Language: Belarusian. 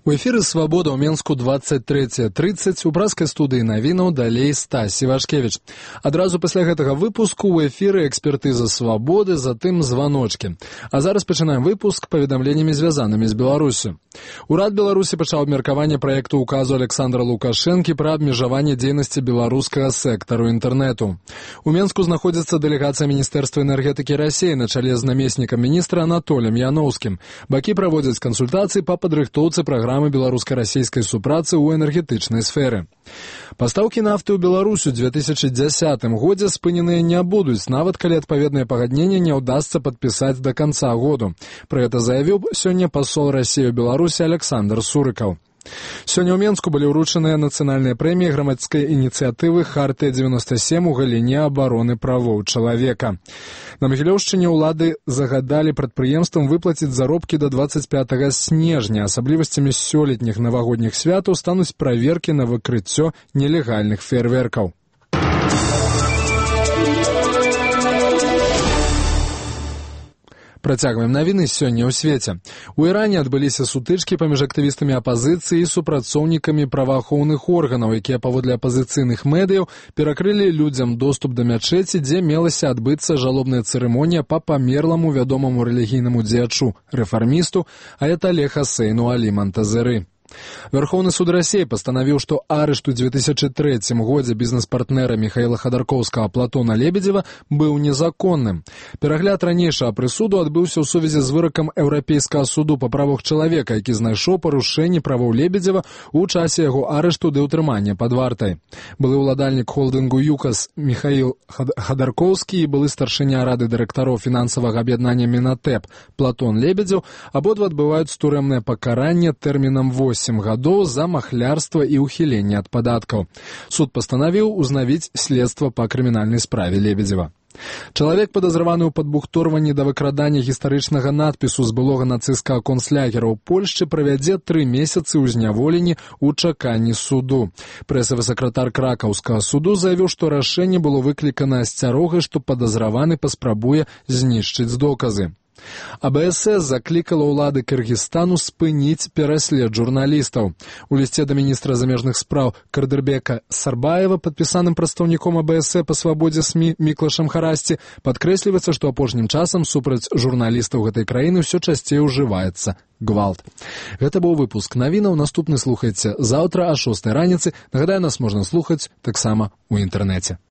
У эфіры «Свабода» ў Менску 23:30. У праскай студыі навінаў далей Стась Івашкевіч. Адразу пасля гэтага выпуску ў эфіры экспертыза «Свабоды», затым званочкі. А зараз пачынаем выпуск паведамленнямі, звязанымі з Беларусю. Урад Беларусі пачаў абмеркаванне праекту указу Александра Лукашэнкі пра абмежаванне дзейнасці беларускага сектару інтэрнэту. У Менску знаходзіцца дэлегацыя Міністэрства энергетыкі Расіі на чале з намеснікам міністра Анатоліем Яноўскім. Бакі праводзяць кансультацыі па падрыхтоўцы праграмы беларуска-расійскай супрацы ў энергетычнай сферы. Пастаўкі нафты ў Беларусь у 2010 годзе спыненыя не будуць, нават калі адпаведнае пагадненне не ўдасца падпісаць да канца году. Пра гэта заявіў сёння пасол Расіі ў Беларусі Александр Сурыкаў. Сёння ў Менску былі ўручаныя нацыянальныя прэміі грамадскай ініцыятывы «Хартыя-97» у галіне абароны правоў чалавека. На Магілёўшчыне ўлады загадалі прадпрыемствам выплаціць заробкі да 25 снежня. Асаблівасцямі сёлетніх навагодніх святаў стануць праверкі на выкрыццё нелегальных феерверкаў. Працягваем навіны сёння ў свеце. У Іране адбыліся сутычкі паміж актывістамі апазіцыі і супрацоўнікамі праваахоўных органаў, якія паводле апазіцыйных медыяў перакрылі людзям доступ да мячэці, дзе мелася адбыцца жалобная цырымонія па памерламу вядомаму рэлігійнаму дзеячу, рэфармісту Аятале Хасейну Алі Монтазеры. Верховны суд России постановил, что арышт у 2003 годзе бізнес-партнера Михаила Ходорковского Платона Лебедева был незаконным. Перагляд ранейшага прысуду адбыўся ў сувязі з выракам Еўрапейскага суду па правах чалавека, які знайшоў парушэнні правоў Лебедева ў часе яго арышту ды ўтрымання пад вартай. Былы ўладальнік холдынгу «ЮКАС» Михаил Ходорковскі і былы старшыня рады дырэктароў фінансавага аб'яднання «Мінатэп» Платон Лебедзев абодва адбываюць турэмнае пакаранне тэрмінам 8 гадоў за махлярства і ўхіленне ад падаткаў. Суд пастанавіў узнавіць следства па крымінальнай справе Лебедзева. Чалавек, падазраваны ў падбухторванні да выкрадання гістарычнага надпісу з былога нацысцкага концлагера ў Польшчы, правядзе 3 месяцы ў зняволенні ў чаканні суду. Прэсавы сакратар кракаўскага суду заявіў, што рашэнне было выклікана асцярогай, што падазраваны паспрабуе знішчыць доказы. АБСС заклікала ўлады Кыргызстану спыніць пераслед журналістаў. У лісце да міністра замежных спраў Кардырбека Сарбаева, падпісаным прадстаўніком АБСС па свабодзе СМІ Міклашам Харасці, падкрэсліваецца, што апошнім часам супраць журналістаў гэтай краіны ўсё часцей ужываецца гвалт. Гэта быў выпуск навінаў. Наступны слухайце заўтра о 6 раніцы. Нагадаю, нас можна слухаць таксама ў інтэрнэце.